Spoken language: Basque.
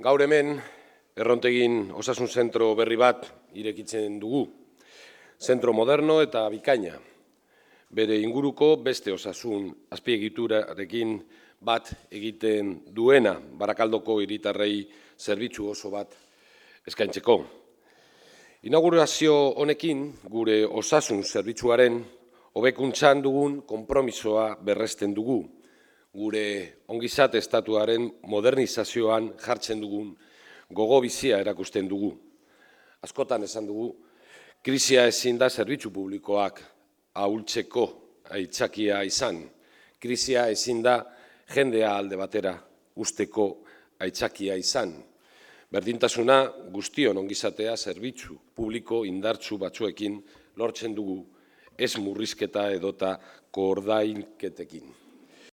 Gaur hemen, Errontegin osasun zentro berri bat irekitzen dugu. Zentro moderno eta bikaina. Bere inguruko beste osasun azpiegiturarekin bat egiten duena, Barakaldoko hiritarrei zerbitzu oso bat eskaintzeko. Inaugurazio honekin gure osasun zerbitzuaren hobekuntzan dugun konpromisoa berresten dugu. Gure ongizate estatuaren modernizazioan jartzen dugun gogo bizia erakusten dugu. Askotan esan dugu, krisia ezin da zerbitzu publikoak ahultzeko aitzakia izan. Krisia ezin da jendea alde batera usteko aitzakia izan. Berdintasuna guztion ongizatea zerbitzu publiko indartsu batzuekin lortzen dugu, ez murrizketa edota koordainketekin.